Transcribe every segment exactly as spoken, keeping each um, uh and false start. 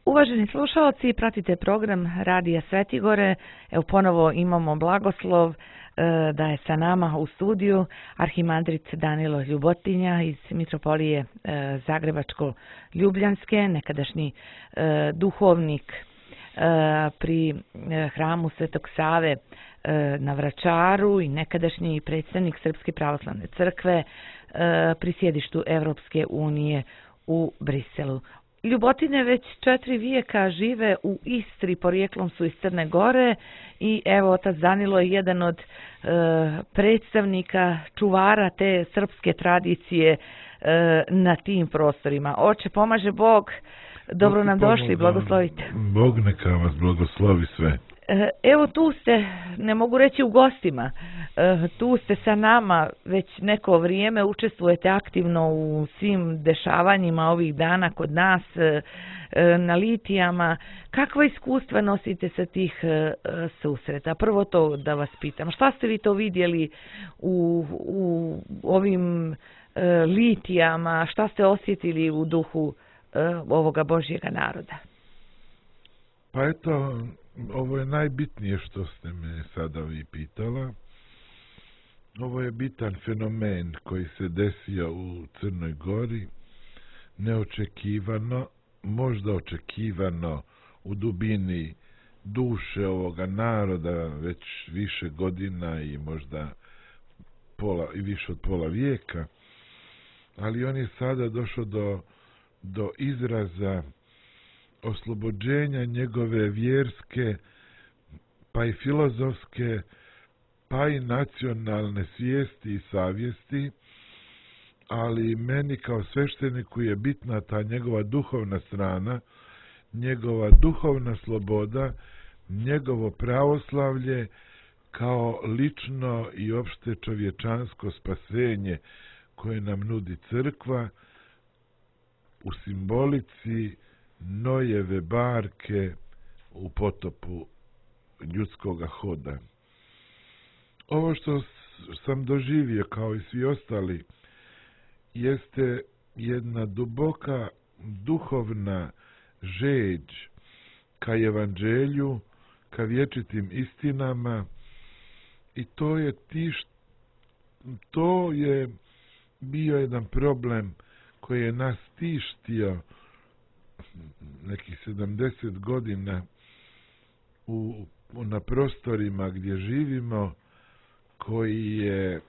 Uvaženi slušalci, pratite program Radija Svetigore. Evo ponovo imamo blagoslov da je sa nama u studiju arhimandrit Danilo Ljubotinja iz Mitropolije Zagrebačko-Ljubljanske, nekadašnji duhovnik pri hramu Svetog Save na Vračaru i nekadašnji predstavnik Srpske pravoslavne crkve pri sjedištu Evropske unije u Briselu. Ljubotine već četiri vijeka žive u Istri, porijeklom su iz Crne Gore i evo otac Danilo je jedan od e, predstavnika, čuvara te srpske tradicije e, na tim prostorima. Oče, pomaže Bog, dobro nam došli, blagoslovite. Bog neka vas blagoslovi sve. Evo tu ste, ne mogu reći u gostima, tu ste sa nama već neko vrijeme, učestvujete aktivno u svim dešavanjima ovih dana kod nas na litijama. Kakva iskustva nosite sa tih susreta? Prvo to da vas pitam, šta ste vi to vidjeli u, u ovim litijama, šta ste osjetili u duhu ovoga Božjega naroda? Pa eto, ovo je najbitnije što ste me sada vi pitala. Ovo je bitan fenomen koji se desio u Crnoj Gori, neočekivano, možda očekivano u dubini duše ovoga naroda već više godina i možda pola, i više od pola vijeka, ali on je sada došao do, do izraza oslobođenja njegove vjerske, pa i filozofske, pa i nacionalne svijesti i savjesti, ali meni kao svešteniku je bitna ta njegova duhovna strana, njegova duhovna sloboda, njegovo pravoslavlje kao lično i opšte čovječansko spasenje koje nam nudi crkva u simbolici Nojeve barke u potopu ljudskoga hoda. Ovo što sam doživio kao i svi ostali jeste jedna duboka duhovna žeđ ka evanđelju, ka vječitim istinama i to je tiš, to je bio jedan problem koji je nas tištio nekih sedamdeset godina u, na prostorima gdje živimo, koji je,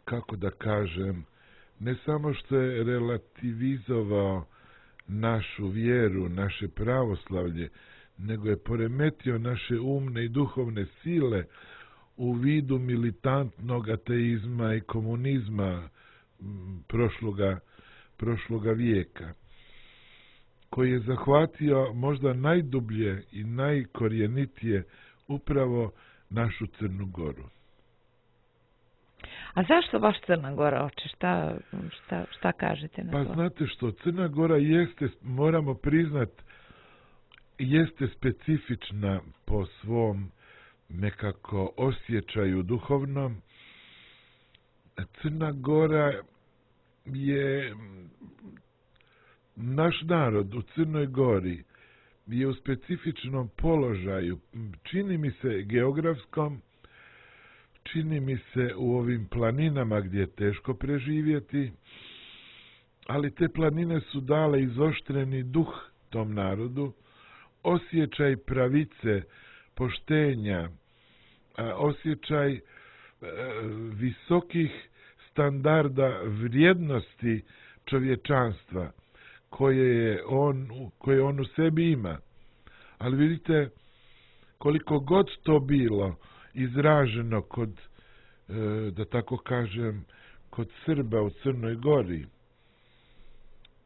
kako da kažem, ne samo što je relativizovao našu vjeru, naše pravoslavlje, nego je poremetio naše umne i duhovne sile u vidu militantnog ateizma i komunizma prošloga, prošloga vijeka, koji je zahvatio možda najdublje i najkorjenitije upravo našu Crnu Goru. A zašto baš Crna Gora, oče? Šta, šta, šta kažete na pa to? Pa znate što, Crna Gora jeste, moramo priznat, jeste specifična po svom nekako osjećaju duhovnom. Crna Gora je, naš narod u Crnoj Gori je u specifičnom položaju, čini mi se geografskom, čini mi se u ovim planinama gdje je teško preživjeti, ali te planine su dale izoštreni duh tom narodu, osjećaj pravice, poštenja, osjećaj visokih standarda vrijednosti čovječanstva koje je on, koje on u sebi ima. Ali vidite, koliko god to bilo izraženo kod, da tako kažem, kod Srba u Crnoj Gori,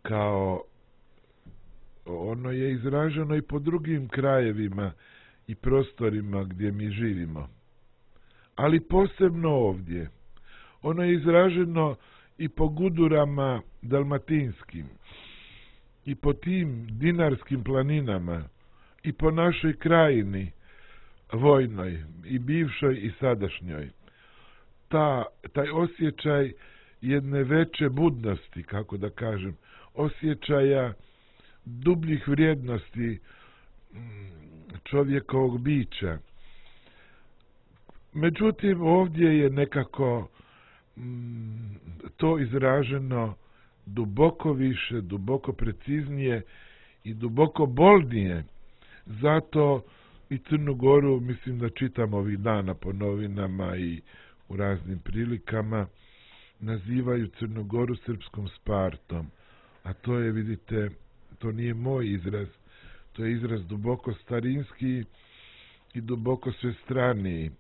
kao ono je izraženo i po drugim krajevima i prostorima gdje mi živimo. Ali posebno ovdje. Ono je izraženo i po gudurama dalmatinskim, i po tim dinarskim planinama, i po našoj krajini vojnoj, i bivšoj i sadašnjoj. Ta, taj osjećaj jedne veće budnosti, kako da kažem, osjećaja dubljih vrijednosti čovjekovog bića. Međutim, ovdje je nekako mm, to izraženo duboko više, duboko preciznije i duboko boldnije. Zato i Crnu Goru, mislim da čitam ovih dana po novinama i u raznim prilikama, nazivaju Crnu Goru srpskom Spartom. A to je, vidite, to nije moj izraz, to je izraz duboko starinski i duboko svestraniji.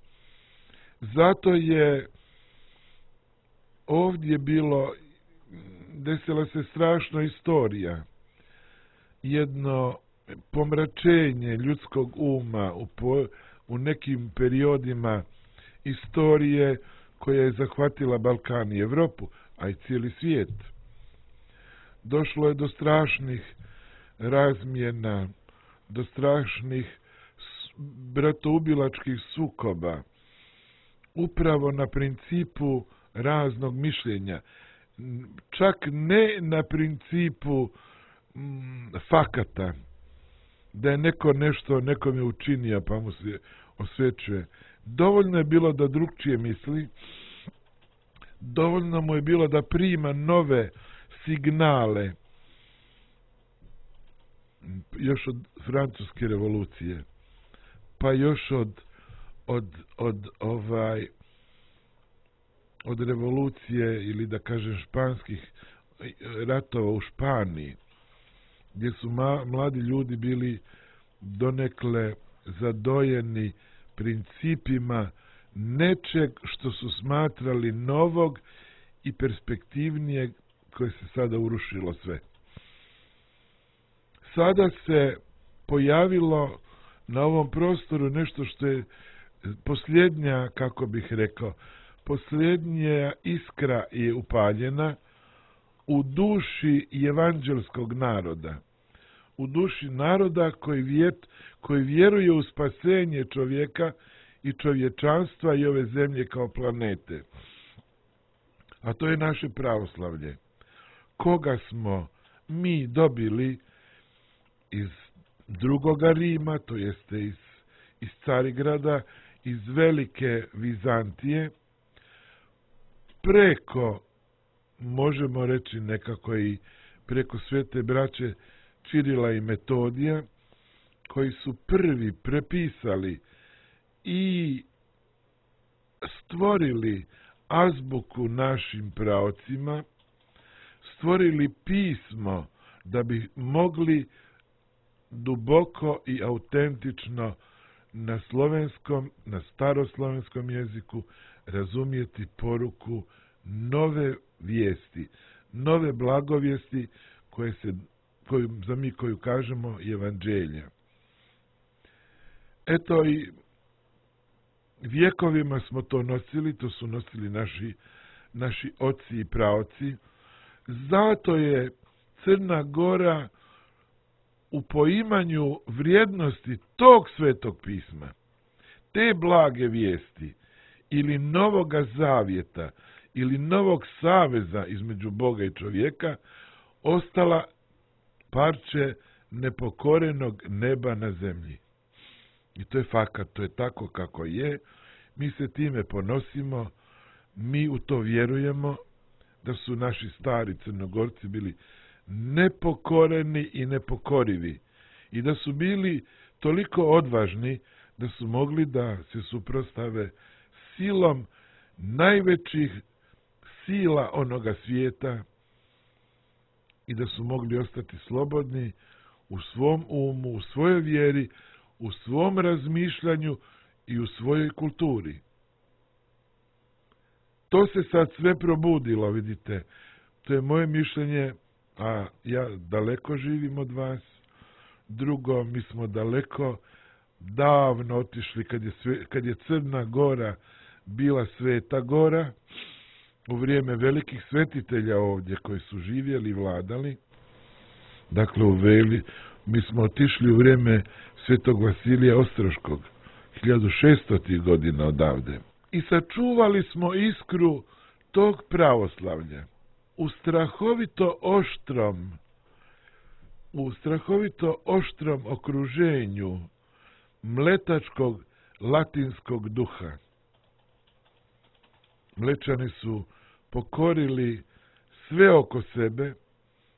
Zato je ovdje bilo, desila se strašna istorija, jedno pomračenje ljudskog uma u, po, u nekim periodima istorije koja je zahvatila Balkan i Evropu, a i cijeli svijet. Došlo je do strašnih razmjena, do strašnih bratoubilačkih sukoba, upravo na principu raznog mišljenja, čak ne na principu mm, fakata, da je neko nešto nekome učinio pa mu se osvećuje. Dovoljno je bilo da drugčije misli, dovoljno mu je bilo da prima nove signale još od francuske revolucije, pa još od od, od ovaj od revolucije ili da kažem španskih ratova u Španiji, gdje su ma, mladi ljudi bili donekle zadojeni principima nečeg što su smatrali novog i perspektivnijeg, koje se sada urušilo sve. Sada se pojavilo na ovom prostoru nešto što je posljednja, kako bih rekao, posljednja iskra je upaljena u duši evanđelskog naroda, u duši naroda koji, vjet, koji vjeruje u spasenje čovjeka i čovječanstva i ove zemlje kao planete. A to je naše pravoslavlje, koga smo mi dobili iz drugoga Rima, to jeste iz, iz Carigrada, iz velike Vizantije, preko, možemo reći nekako i preko svete braće Čirila i Metodija, koji su prvi prepisali i stvorili azbuku našim praocima, stvorili pismo da bi mogli duboko i autentično na slovenskom, na staroslovenskom jeziku razumjeti poruku nove vijesti, nove blagovijesti koje se, koju, za mi koju kažemo evanđelja. Eto i vjekovima smo to nosili, to su nosili naši, naši oci i praoci. Zato je Crna Gora u poimanju vrijednosti tog svetog pisma, te blage vijesti ili novoga zavjeta ili novog saveza između Boga i čovjeka ostala parče nepokorenog neba na zemlji. I to je fakat, to je tako kako je. Mi se time ponosimo, mi u to vjerujemo, da su naši stari Crnogorci bili nepokoreni i nepokorivi i da su bili toliko odvažni da su mogli da se suprotstave silom najvećih sila onoga svijeta i da su mogli ostati slobodni u svom umu, u svojoj vjeri, u svom razmišljanju i u svojoj kulturi. To se sad sve probudilo, vidite. To je moje mišljenje, a ja daleko živim od vas. Drugo, mi smo daleko davno otišli kad je, sve, kad je Crna Gora bila sveta gora, u vrijeme velikih svetitelja ovdje koji su živjeli i vladali. Dakle, u Veli, mi smo otišli u vrijeme svetog Vasilija Ostroškog, hiljadu šeststotih godina odavde. I sačuvali smo iskru tog pravoslavlja u strahovito oštrom, u strahovito oštrom okruženju mletačkog latinskog duha. Mlečani su pokorili sve oko sebe,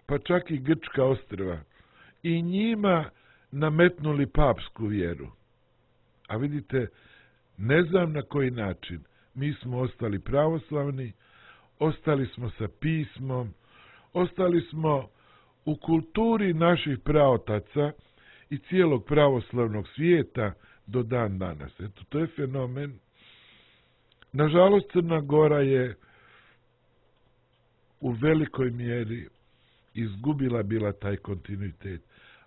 pa čak i Grčka ostrva, i njima nametnuli papsku vjeru. A vidite, ne znam na koji način, mi smo ostali pravoslavni, ostali smo sa pismom, ostali smo u kulturi naših praotaca i cijelog pravoslavnog svijeta do dan danas. Eto, to je fenomen. Nažalost, Crna Gora je u velikoj mjeri izgubila bila taj kontinuitet,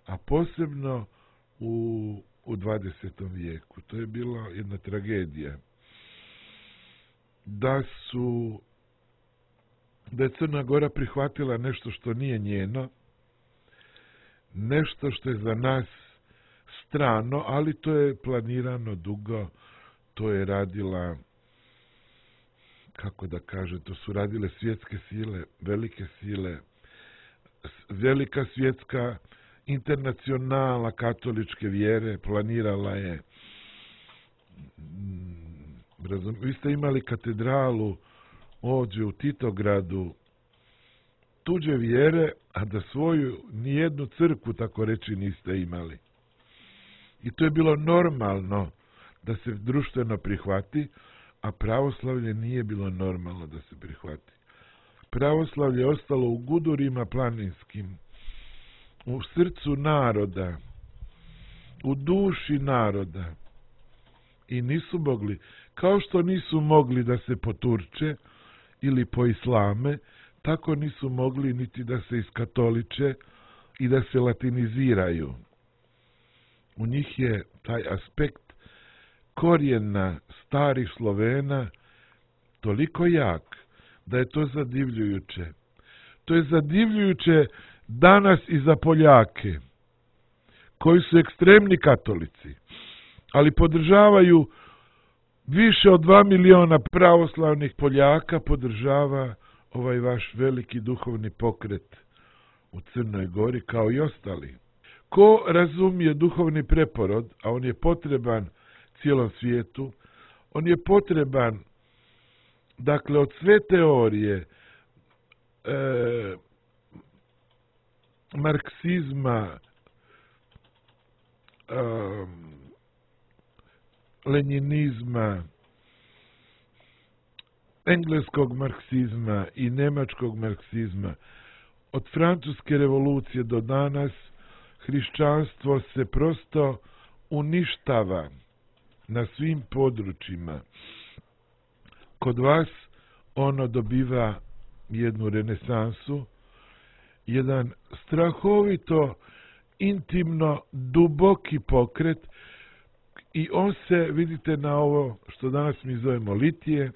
a posebno u, u dvadesetom vijeku. To je bila jedna tragedija. Da su da je Crna Gora prihvatila nešto što nije njeno, nešto što je za nas strano, ali to je planirano dugo, to je radila, kako da kaže, to su radile svjetske sile, velike sile, velika svjetska internacionala katoličke vjere, planirala je. Razum, vi ste imali katedralu ovdje u Titogradu tuđe vjere, a da svoju nijednu crkvu, tako reći, niste imali. I to je bilo normalno da se društveno prihvati, a pravoslavlje nije bilo normalno da se prihvati. Pravoslavlje je ostalo u gudurima planinskim, u srcu naroda, u duši naroda. I nisu mogli, kao što nisu mogli da se poturče ili poislame, tako nisu mogli niti da se iskatoliče i da se latiniziraju. U njih je taj aspekt korijena starih Slovena toliko jak da je to zadivljujuće. To je zadivljujuće danas i za Poljake, koji su ekstremni katolici, ali podržavaju više od dva miliona pravoslavnih Poljaka, podržava ovaj vaš veliki duhovni pokret u Crnoj Gori, kao i ostali. Ko razumije duhovni preporod, a on je potreban cijelom svijetu, on je potreban, dakle, od sve teorije e, marksizma, e, lenjinizma, engleskog marksizma i nemačkog marksizma, od francuske revolucije do danas, hrišćanstvo se prosto uništava na svim područjima. Kod vas ono dobiva jednu renesansu, jedan strahovito, intimno, duboki pokret, i on se, vidite, na ovo što danas mi zovemo litije,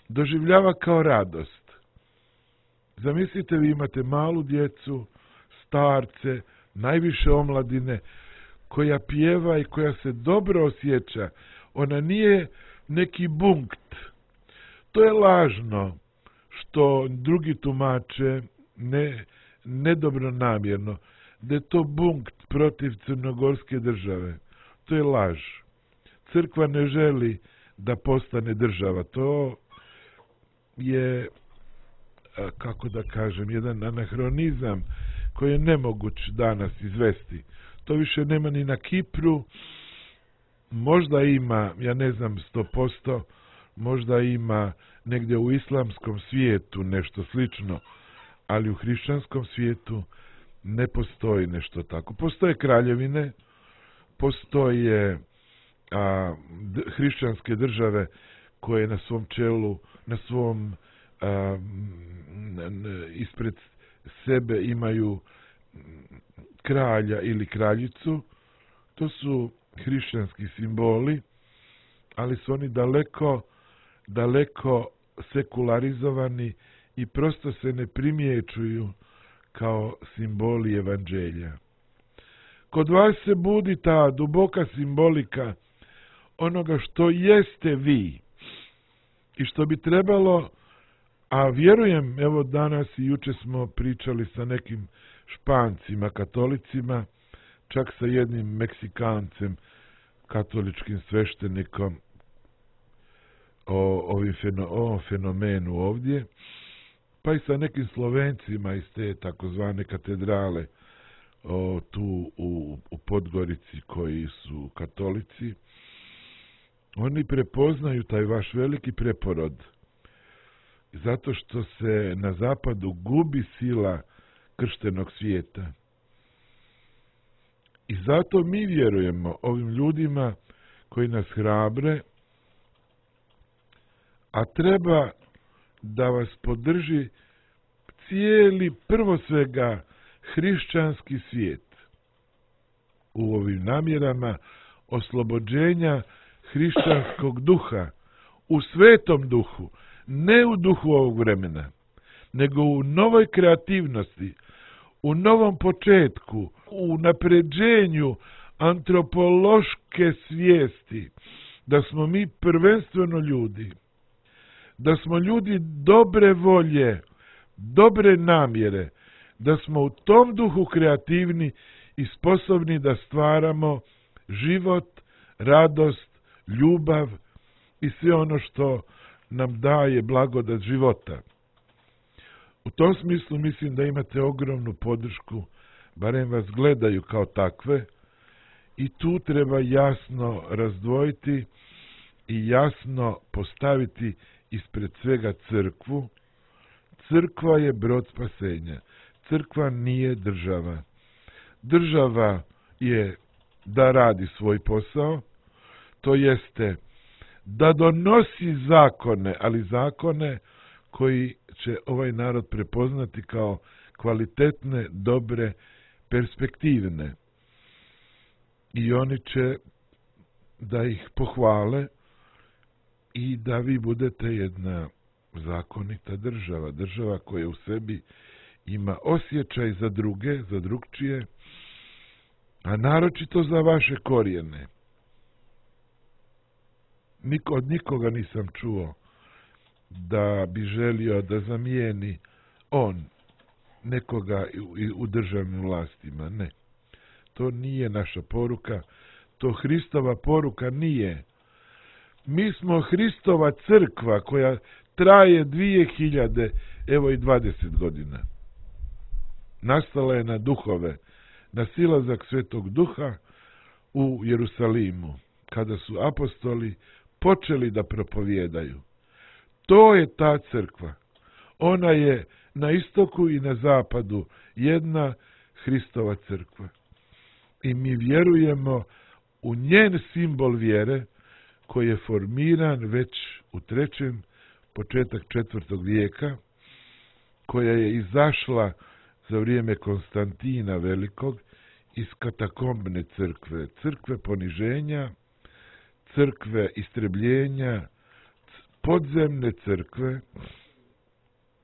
doživljava kao radost. Zamislite, vi imate malu djecu, starce, najviše omladine, koja pjeva i koja se dobro osjeća. Ona nije neki bunkt. To je lažno, što drugi tumače ne, nedobronamjerno, da je to bunkt protiv crnogorske države. To je laž. Crkva ne želi da postane država. To je, kako da kažem, jedan anahronizam koji je nemoguć danas izvesti. To više nema ni na Kipru, možda ima, ja ne znam sto posto, možda ima negdje u islamskom svijetu nešto slično, ali u hrišćanskom svijetu ne postoji nešto tako. Postoje kraljevine, postoje a, d, hrišćanske države koje na svom čelu, na svom a, n, n, ispred sebe imaju kralja ili kraljicu. To su hrišćanski simboli, ali su oni daleko, daleko sekularizovani i prosto se ne primjećuju kao simboli evanđelja. Kod vas se budi ta duboka simbolika onoga što jeste vi i što bi trebalo, a vjerujem, evo danas i juče smo pričali sa nekim Špancima, katolicima, čak sa jednim Meksikancem, katoličkim sveštenikom, o ovim feno, ovom fenomenu ovdje, pa i sa nekim Slovencima iz te takozvane katedrale o, tu u, u Podgorici koji su katolici. Oni prepoznaju taj vaš veliki preporod zato što se na zapadu gubi sila krštenog svijeta. I zato mi vjerujemo ovim ljudima koji nas hrabre, a treba da vas podrži cijeli, prvo svega, hrišćanski svijet u ovim namjerama oslobođenja hrišćanskog duha, u svetom duhu, ne u duhu ovog vremena, nego u novoj kreativnosti, u novom početku, u napređenju antropološke svijesti, da smo mi prvenstveno ljudi, da smo ljudi dobre volje, dobre namjere, da smo u tom duhu kreativni i sposobni da stvaramo život, radost, ljubav i sve ono što nam daje blagodat života. U tom smislu mislim da imate ogromnu podršku, barem vas gledaju kao takve, i tu treba jasno razdvojiti i jasno postaviti ispred svega crkvu. Crkva je brod spasenja. Crkva nije država. Država je da radi svoj posao, to jeste da donosi zakone, ali zakone koji će ovaj narod prepoznati kao kvalitetne, dobre, perspektivne. I oni će da ih pohvale i da vi budete jedna zakonita država. Država koja u sebi ima osjećaj za druge, za drugčije, a naročito za vaše korijene. Niko, od nikoga nisam čuo da bi želio da zamijeni on nekoga u, u državnim vlastima. Ne. To nije naša poruka. To Hristova poruka nije. Mi smo Hristova crkva koja traje dvije hiljade, evo i dvadeset godina. Nastala je na duhove, na silazak Svetog Duha u Jerusalimu, kada su apostoli počeli da propovijedaju. To je ta crkva. Ona je na istoku i na zapadu jedna Hristova crkva. I mi vjerujemo u njen simbol vjere koji je formiran već u trećem, početak četvrtog vijeka, koja je izašla za vrijeme Konstantina Velikog iz katakombne crkve, crkve poniženja, crkve istrebljenja, podzemne crkve.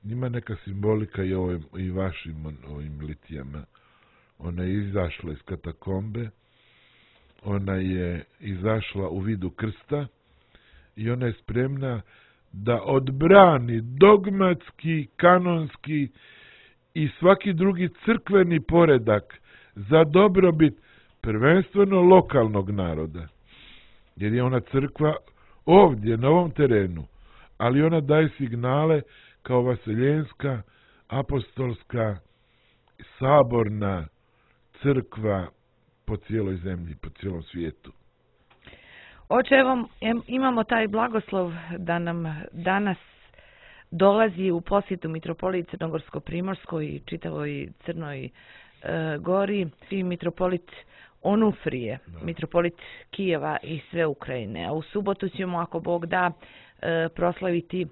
Ima neka simbolika i, ovim, i vašim ovim litijama. Ona je izašla iz katakombe, ona je izašla u vidu krsta i ona je spremna da odbrani dogmatski, kanonski i svaki drugi crkveni poredak za dobrobit prvenstveno lokalnog naroda. Jer je ona crkva ovdje, na ovom terenu, ali ona daje signale kao vaseljenska, apostolska, saborna crkva po cijeloj zemlji, po cijelom svijetu. Oče, evo, imamo taj blagoslov da nam danas dolazi u posjetu mitropoliji Crnogorsko-Primorskoj i čitavoj Crnoj e, Gori i mitropolit Onufrije, da. Mitropolit Kijeva i sve Ukrajine. A u subotu ćemo, ako Bog da, e, proslaviti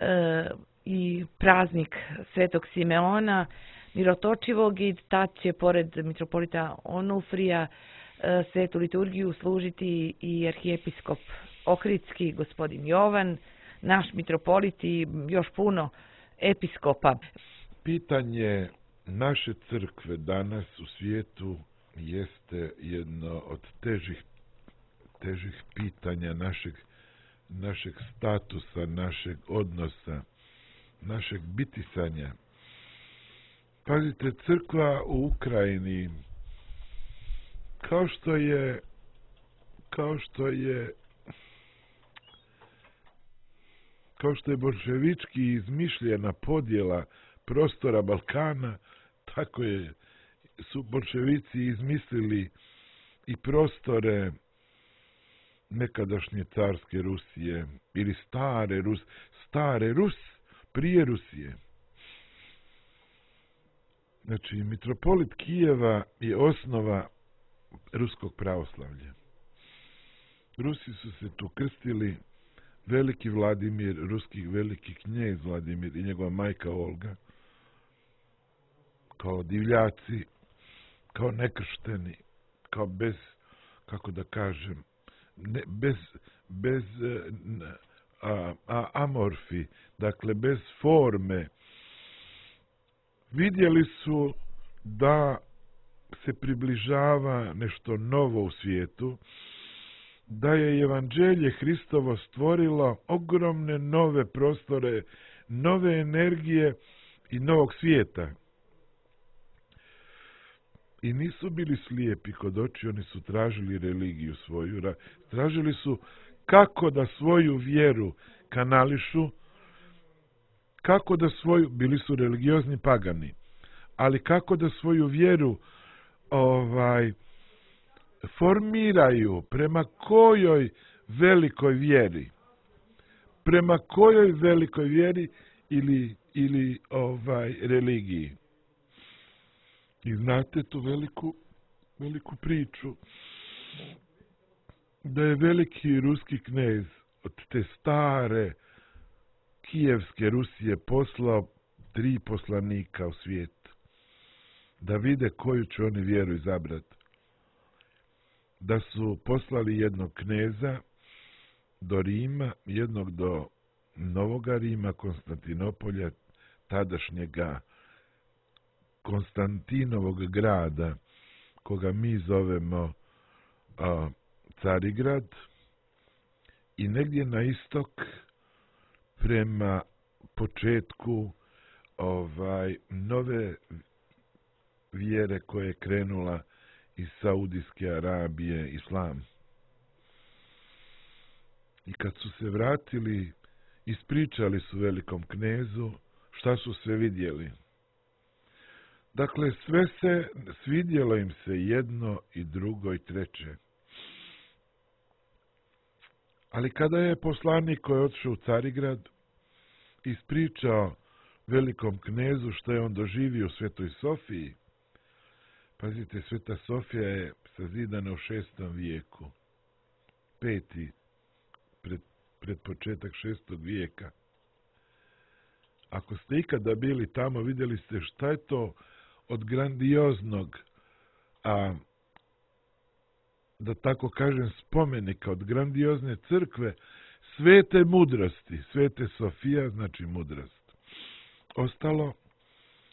e, i praznik Svetog Simeona Mirotočivog i tad će pored mitropolita Onufrija e, svetu liturgiju služiti i arhijepiskop Ohridski, gospodin Jovan, naš mitropolit i još puno episkopa. Pitanje naše crkve danas u svijetu jeste jedno od težih, težih pitanja našeg, našeg statusa, našeg odnosa, našeg bitisanja. Pazite, crkva u Ukrajini, kao što je, kao što je, kao što je bolševički izmišljena podjela prostora Balkana, tako je, su bolševici izmislili i prostore nekadašnje carske Rusije, ili stare Rus, stare Rus, prije Rusije. Znači, mitropolit Kijeva je osnova ruskog pravoslavlja. Rusi su se tu krstili, veliki Vladimir, ruski veliki knjez Vladimir i njegova majka Olga, kao divljaci, kao nekršteni, kao bez, kako da kažem, ne, bez, bez a, a, amorfi, dakle bez forme, vidjeli su da se približava nešto novo u svijetu, da je evanđelje Hristovo stvorilo ogromne nove prostore, nove energije i novog svijeta. I nisu bili slijepi kod oči, oni su tražili religiju svoju, tražili su kako da svoju vjeru kanališu, kako da svoju, bili su religiozni pagani, ali kako da svoju vjeru ovaj formiraju, prema kojoj velikoj vjeri, prema kojoj velikoj vjeri ili, ili ovaj religiji. I znate tu veliku, veliku priču, da je veliki ruski knez od te stare kijevske Rusije poslao tri poslanika u svijet, da vide koju će oni vjeru izabrati. Da su poslali jednog kneza do Rima, jednog do Novoga Rima, Konstantinopolja, tadašnjega Konstantinovog grada, koga mi zovemo a, Carigrad, i negdje na istok prema početku ovaj nove vjere koje je krenula iz Saudijske Arabije, islam. I kad su se vratili, ispričali su velikom knezu šta su sve vidjeli. Dakle, sve se, svidjelo im se jedno i drugo i treće. Ali kada je poslanik koji je otišao u Carigrad ispričao velikom knezu što je on doživio u Svetoj Sofiji, pazite, Sveta Sofija je sazidana u šestom vijeku, peti, pred, pred početak šestog vijeka. Ako ste ikada bili tamo, vidjeli ste šta je to od grandioznog, a, da tako kažem, spomenika, od grandiozne crkve, svete mudrosti, Svete Sofija znači mudrost. Ostalo,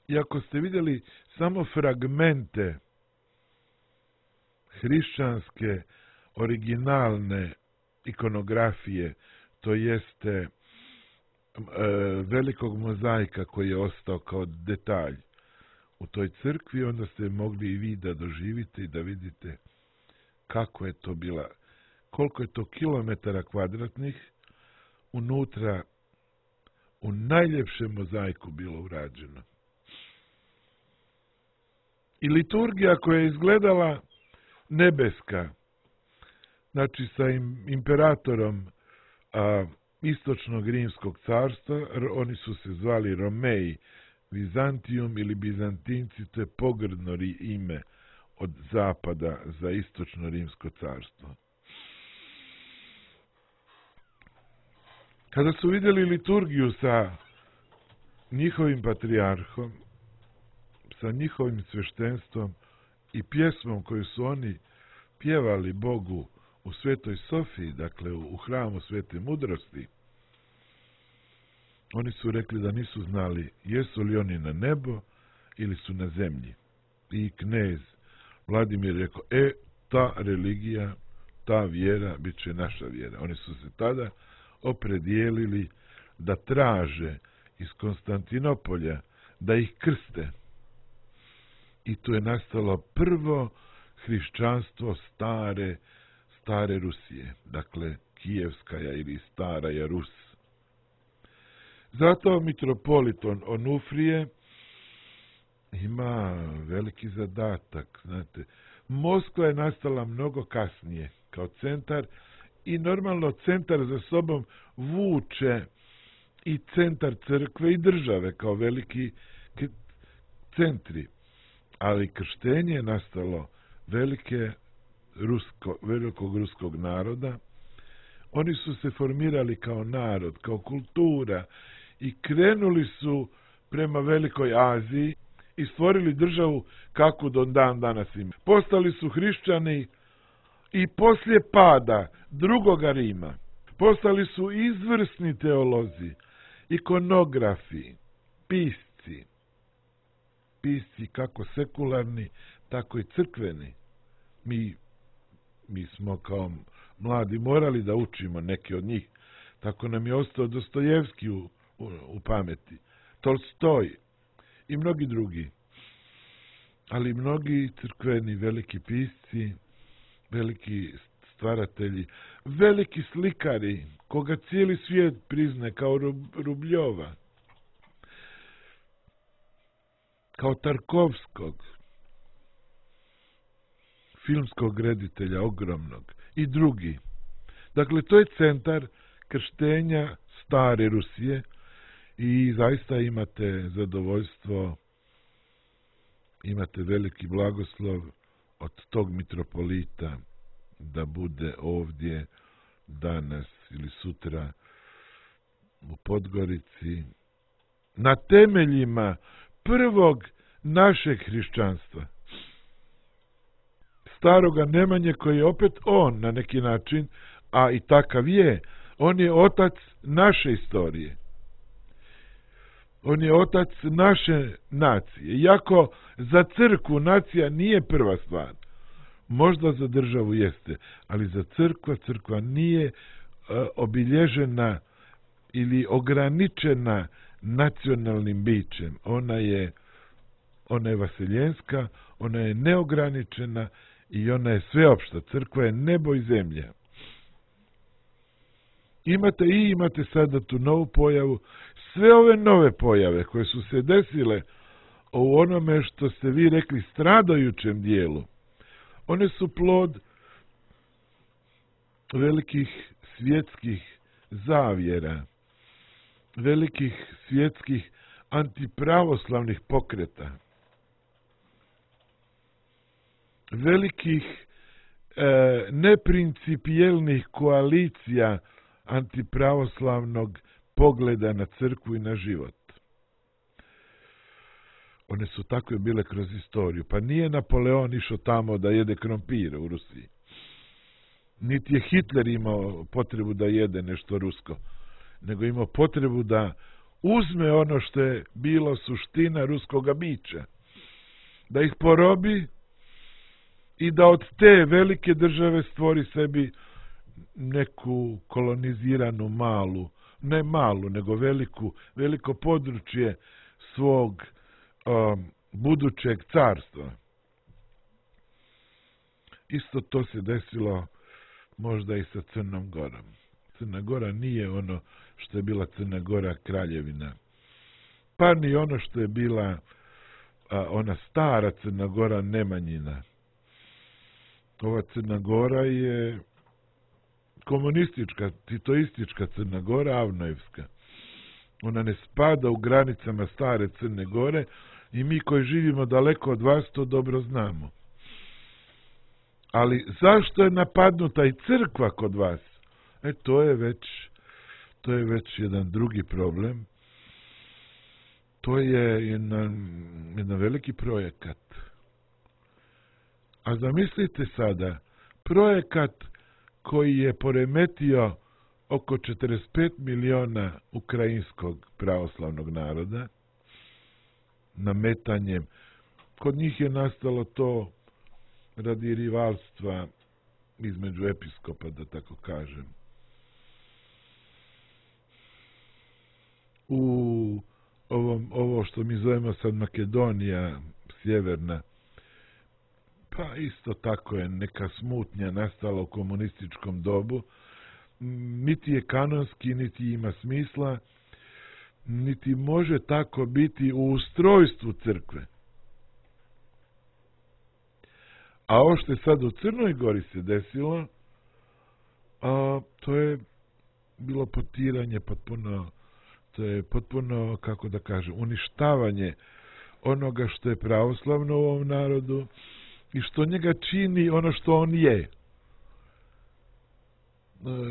i ako ste vidjeli samo fragmente hrišćanske, originalne ikonografije, to jeste e, velikog mozaika koji je ostao kao detalj u toj crkvi, onda ste mogli i vi da doživite i da vidite kako je to bila, koliko je to kilometara kvadratnih unutra u najljepšem mozaiku bilo urađeno. I liturgija koja je izgledala nebeska, znači sa im, imperatorom a, istočnog rimskog carstva, oni su se zvali Romeji, Vizantijum ili Bizantinci, to je pogrdno ime od zapada za istočno rimsko carstvo. Kada su vidjeli liturgiju sa njihovim patrijarhom, sa njihovim sveštenstvom i pjesmom koju su oni pjevali Bogu u Svetoj Sofiji, dakle u hramu Svete mudrosti, oni su rekli da nisu znali jesu li oni na nebo ili su na zemlji. I knez Vladimir rekao, e, ta religija, ta vjera bit će naša vjera. Oni su se tada opredijelili da traže iz Konstantinopolja da ih krste. I tu je nastalo prvo hrišćanstvo stare, stare Rusije, dakle Kijevskaja ili Staraja Rus. Zato mitropoliton Onufrije ima veliki zadatak, znate. Moskva je nastala mnogo kasnije kao centar i normalno centar za sobom vuče i centar crkve i države kao veliki centri. Ali krštenje je nastalo velike rusko, velikog ruskog naroda. Oni su se formirali kao narod, kao kultura i krenuli su prema Velikoj Aziji i stvorili državu kakvu do dan danas ima. Postali su hrišćani i poslije pada drugoga Rima postali su izvrsni teolozi, ikonografi, pisci. Pisci kako sekularni, tako i crkveni. Mi, mi smo kao mladi morali da učimo neke od njih. Tako nam je ostao Dostojevski u, u, u pameti, Tolstoj i mnogi drugi. Ali mnogi crkveni veliki pisci, veliki stvaratelji, veliki slikari, koga cijeli svijet prizne kao Rubljova, kao Tarkovskog, filmskog reditelja ogromnog i drugi. Dakle, to je centar krštenja stare Rusije i zaista imate zadovoljstvo, imate veliki blagoslov od tog mitropolita da bude ovdje danas ili sutra u Podgorici na temeljima prvog našeg hrišćanstva. Staroga Nemanje koji je opet on na neki način, a i takav je, on je otac naše istorije. On je otac naše nacije. Iako za crkvu nacija nije prva stvar, možda za državu jeste, ali za crkva, crkva nije uh, obilježena ili ograničena nacionalnim bićem. Ona je, ona je vaseljenska, ona je neograničena i ona je sveopšta. Crkva je nebo i zemlja. Imate i imate sada tu novu pojavu. Sve ove nove pojave koje su se desile u onome što ste vi rekli stradajućem dijelu, one su plod velikih svjetskih zavjera, velikih svjetskih antipravoslavnih pokreta, velikih e, neprincipijelnih koalicija antipravoslavnog pogleda na crkvu i na život. One su takve bile kroz istoriju. Pa nije Napoleon išao tamo da jede krompire u Rusiji. Niti je Hitler imao potrebu da jede nešto rusko, nego imao potrebu da uzme ono što je bilo suština ruskoga bića, da ih porobi i da od te velike države stvori sebi neku koloniziranu malu, ne malu, nego veliku, veliko područje svog um, budućeg carstva. Isto to se desilo možda i sa Crnom Gorom. Crna Gora nije ono što je bila Crna Gora kraljevina, pa ni ono što je bila a, ona stara Crna Gora Nemanjina. Ova Crna Gora je komunistička, titoistička Crna Gora, Avnojevska. Ona ne spada u granicama stare Crne Gore i mi koji živimo daleko od vas to dobro znamo. Ali zašto je napadnuta i crkva kod vas? E, to je već, to je već jedan drugi problem. To je jedan, jedan veliki projekat. A zamislite sada, projekat koji je poremetio oko četrdeset pet miliona ukrajinskog pravoslavnog naroda, nametanjem. Kod njih je nastalo to radi rivalstva između episkopa, da tako kažem. U ovom, ovo što mi zovemo sad Makedonija, sjeverna, Pa isto tako je neka smutnja nastala u komunističkom dobu. Niti je kanonski, niti ima smisla, niti može tako biti u ustrojstvu crkve. A ovo što je sad u Crnoj Gori se desilo, a, to je bilo potiranje potpuno, to je potpuno, kako da kažem, uništavanje onoga što je pravoslavno u ovom narodu i što njega čini ono što on je.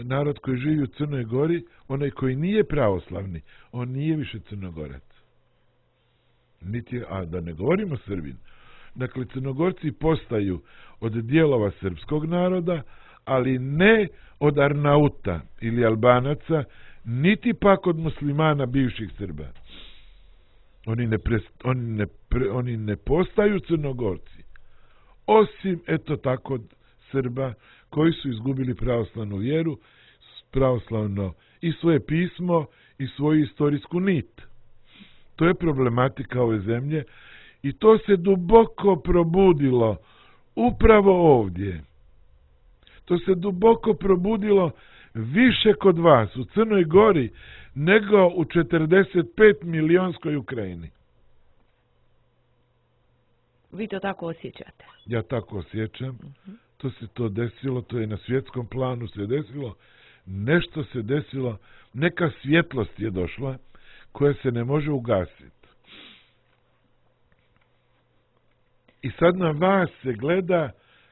Narod koji živi u Crnoj Gori, onaj koji nije pravoslavni, on nije više Crnogorac. Niti, a da ne govorimo Srbin. Dakle, Crnogorci postaju od dijelova srpskog naroda, ali ne od Arnauta ili Albanaca, niti pak od muslimana bivših Srba. Oni ne, pre, oni ne, pre, oni ne postaju Crnogorci. Osim, eto tako, Srba koji su izgubili pravoslavnu vjeru, pravoslavno i svoje pismo i svoju istorijsku nit. To je problematika ove zemlje i to se duboko probudilo upravo ovdje. To se duboko probudilo više kod vas u Crnoj Gori nego u četrdeset pet milionskoj Ukrajini. Vi to tako osjećate? Ja tako osjećam. Uh-huh. To se to desilo, to je na svjetskom planu se desilo. Nešto se desilo, neka svjetlost je došla koja se ne može ugasiti. I sad na vas se gleda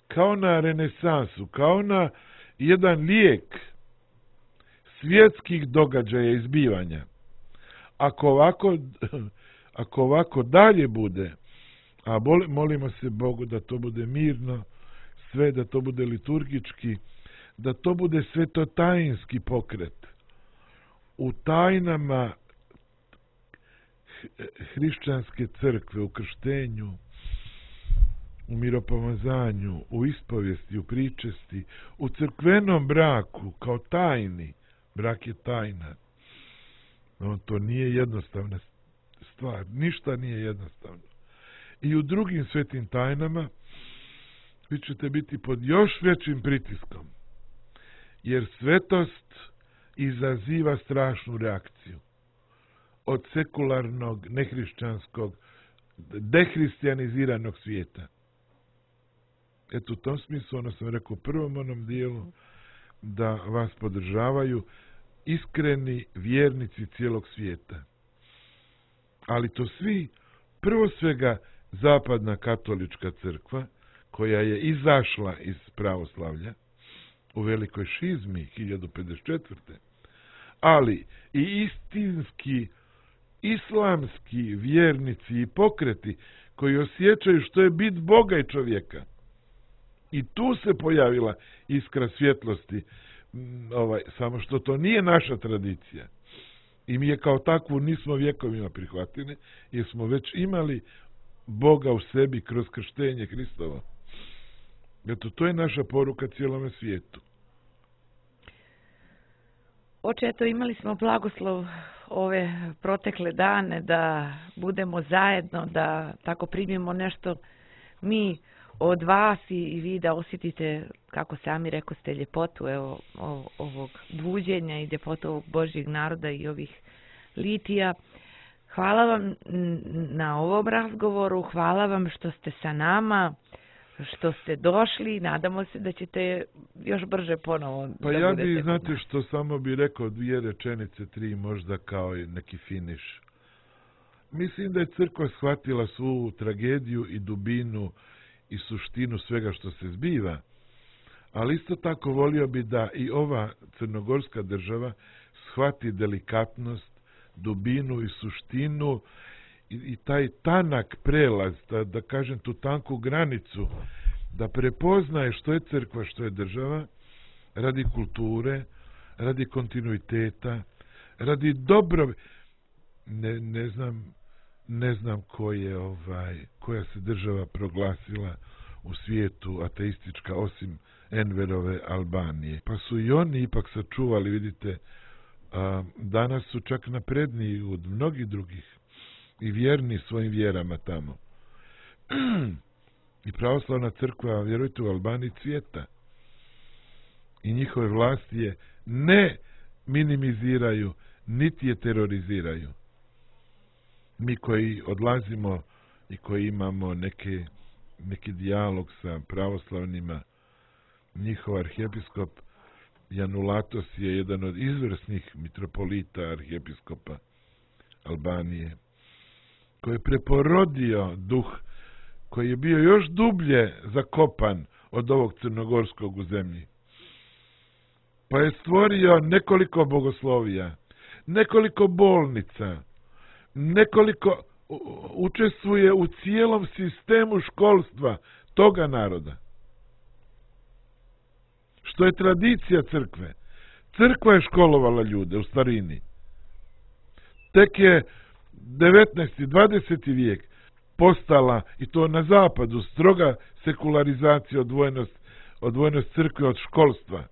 kao na renesansu, kao na jedan lijek svjetskih događaja i zbivanja. Ako ovako, ako ovako dalje bude, a molimo se Bogu da to bude mirno, sve da to bude liturgički, da to bude svetotajinski pokret. U tajnama hrišćanske crkve, u krštenju, u miropomazanju, u ispovijesti, u pričesti, u crkvenom braku, kao tajni. Brak je tajna. No, to nije jednostavna stvar. Ništa nije jednostavno. I u drugim svetim tajnama vi ćete biti pod još većim pritiskom. Jer svetost izaziva strašnu reakciju. Od sekularnog, nehrišćanskog, dehristijaniziranog svijeta. Eto, u tom smislu, ono sam rekao u prvom onom dijelu, da vas podržavaju iskreni vjernici cijelog svijeta. Ali to svi, prvo svega, zapadna katolička crkva, koja je izašla iz pravoslavlja u velikoj šizmi hiljadu pedeset četvrte. Ali i istinski islamski vjernici i pokreti koji osjećaju što je bit Boga i čovjeka. I tu se pojavila iskra svjetlosti, ovaj, samo što to nije naša tradicija. I mi je kao takvu nismo vjekovima prihvatili, jer smo već imali Boga u sebi kroz krštenje Hristovo. Eto, to je naša poruka cijelome svijetu. Oče, eto, imali smo blagoslov ove protekle dane da budemo zajedno, da tako primimo nešto mi od vas i, i vi da osjetite, kako sami rekao ste, ljepotu evo, ovog buđenja i ljepotu ovog Božjeg naroda i ovih litija. Hvala vam na ovom razgovoru, hvala vam što ste sa nama, što ste došli, nadamo se da ćete još brže ponovo pa da ja budete. bi, znate što, samo bi rekao dvije rečenice, tri možda kao neki finiš. Mislim da je crkva shvatila svu tragediju i dubinu i suštinu svega što se zbiva, ali isto tako volio bi da i ova crnogorska država shvati delikatnost, dubinu i suštinu i, i taj tanak prelaz, da, da kažem tu tanku granicu, da prepoznaje što je crkva, što je država, radi kulture, radi kontinuiteta, radi dobro, ne, ne znam, ne znam ko je, ovaj, koja se država proglasila u svijetu ateistička, osim Enverove Albanije. Pa su i oni ipak sačuvali, vidite, a, danas su čak napredniji od mnogih drugih i vjerni svojim vjerama tamo. I pravoslavna crkva, vjerujte, u Albaniji cvjeta. I njihove vlasti je ne minimiziraju, niti je teroriziraju. Mi koji odlazimo i koji imamo neke, neki dijalog sa pravoslavnima, njihov arhijepiskop Janulatos je jedan od izvrsnih mitropolita arhijepiskopa Albanije, koji je preporodio duh, koji je bio još dublje zakopan od ovog crnogorskog u zemlji. Pa je stvorio nekoliko bogoslovija, nekoliko bolnica, nekoliko učestvuje u cijelom sistemu školstva toga naroda. Što je tradicija crkve. Crkva je školovala ljude u starini. Tek je devetnaesti. dvadeseti vijek postala, i to na zapadu, stroga sekularizacija, odvojenost, odvojenost crkve od školstva.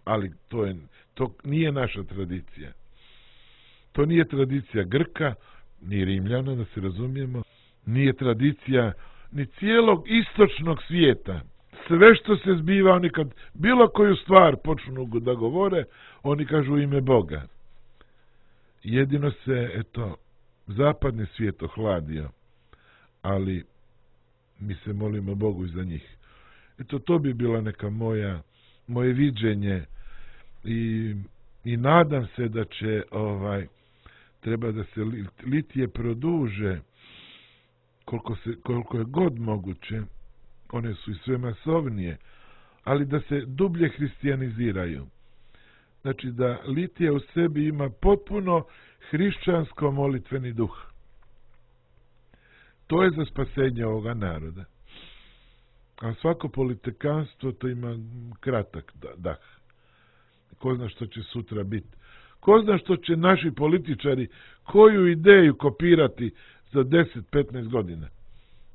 Ali to, je, to nije naša tradicija. To nije tradicija Grka, ni Rimljana, da se razumijemo, nije tradicija ni cijelog istočnog svijeta. Sve što se zbiva, oni kad bilo koju stvar počnu da govore, oni kažu u ime Boga. Jedino se, eto, zapadni svijet ohladio, ali mi se molimo Bogu za njih. Eto, to bi bila neka moja, moje viđenje i, i nadam se da će ovaj, treba da se litije produže koliko, se, koliko je god moguće. One su i sve masovnije, ali da se dublje hristijaniziraju. Znači da litija u sebi ima potpuno hrišćansko molitveni duh. To je za spasenje ovoga naroda. A svako politikanstvo to ima kratak dah. Ko zna što će sutra biti. Ko zna što će naši političari koju ideju kopirati za deset do petnaest godina.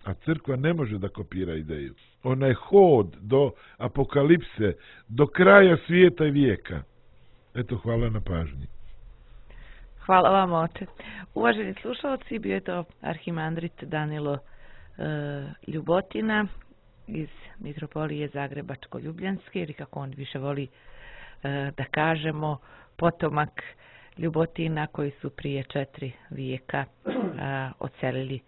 A crkva ne može da kopira ideju. Ona je hod do apokalipse, do kraja svijeta i vijeka. Eto, hvala na pažnji. Hvala vam, oče. Uvaženi slušalci, bio je to arhimandrit Danilo e, Ljubotina iz Mitropolije Zagrebačko-Ljubljanske, ili kako on više voli e, da kažemo, potomak Ljubotina koji su prije četiri vijeka e, odselili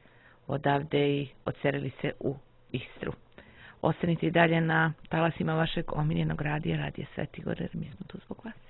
odavde i odselili se u Istru. Ostanite i dalje na talasima vašeg omiljenog radija, Radija Sveti Gor, jer mi smo tu zbog vas.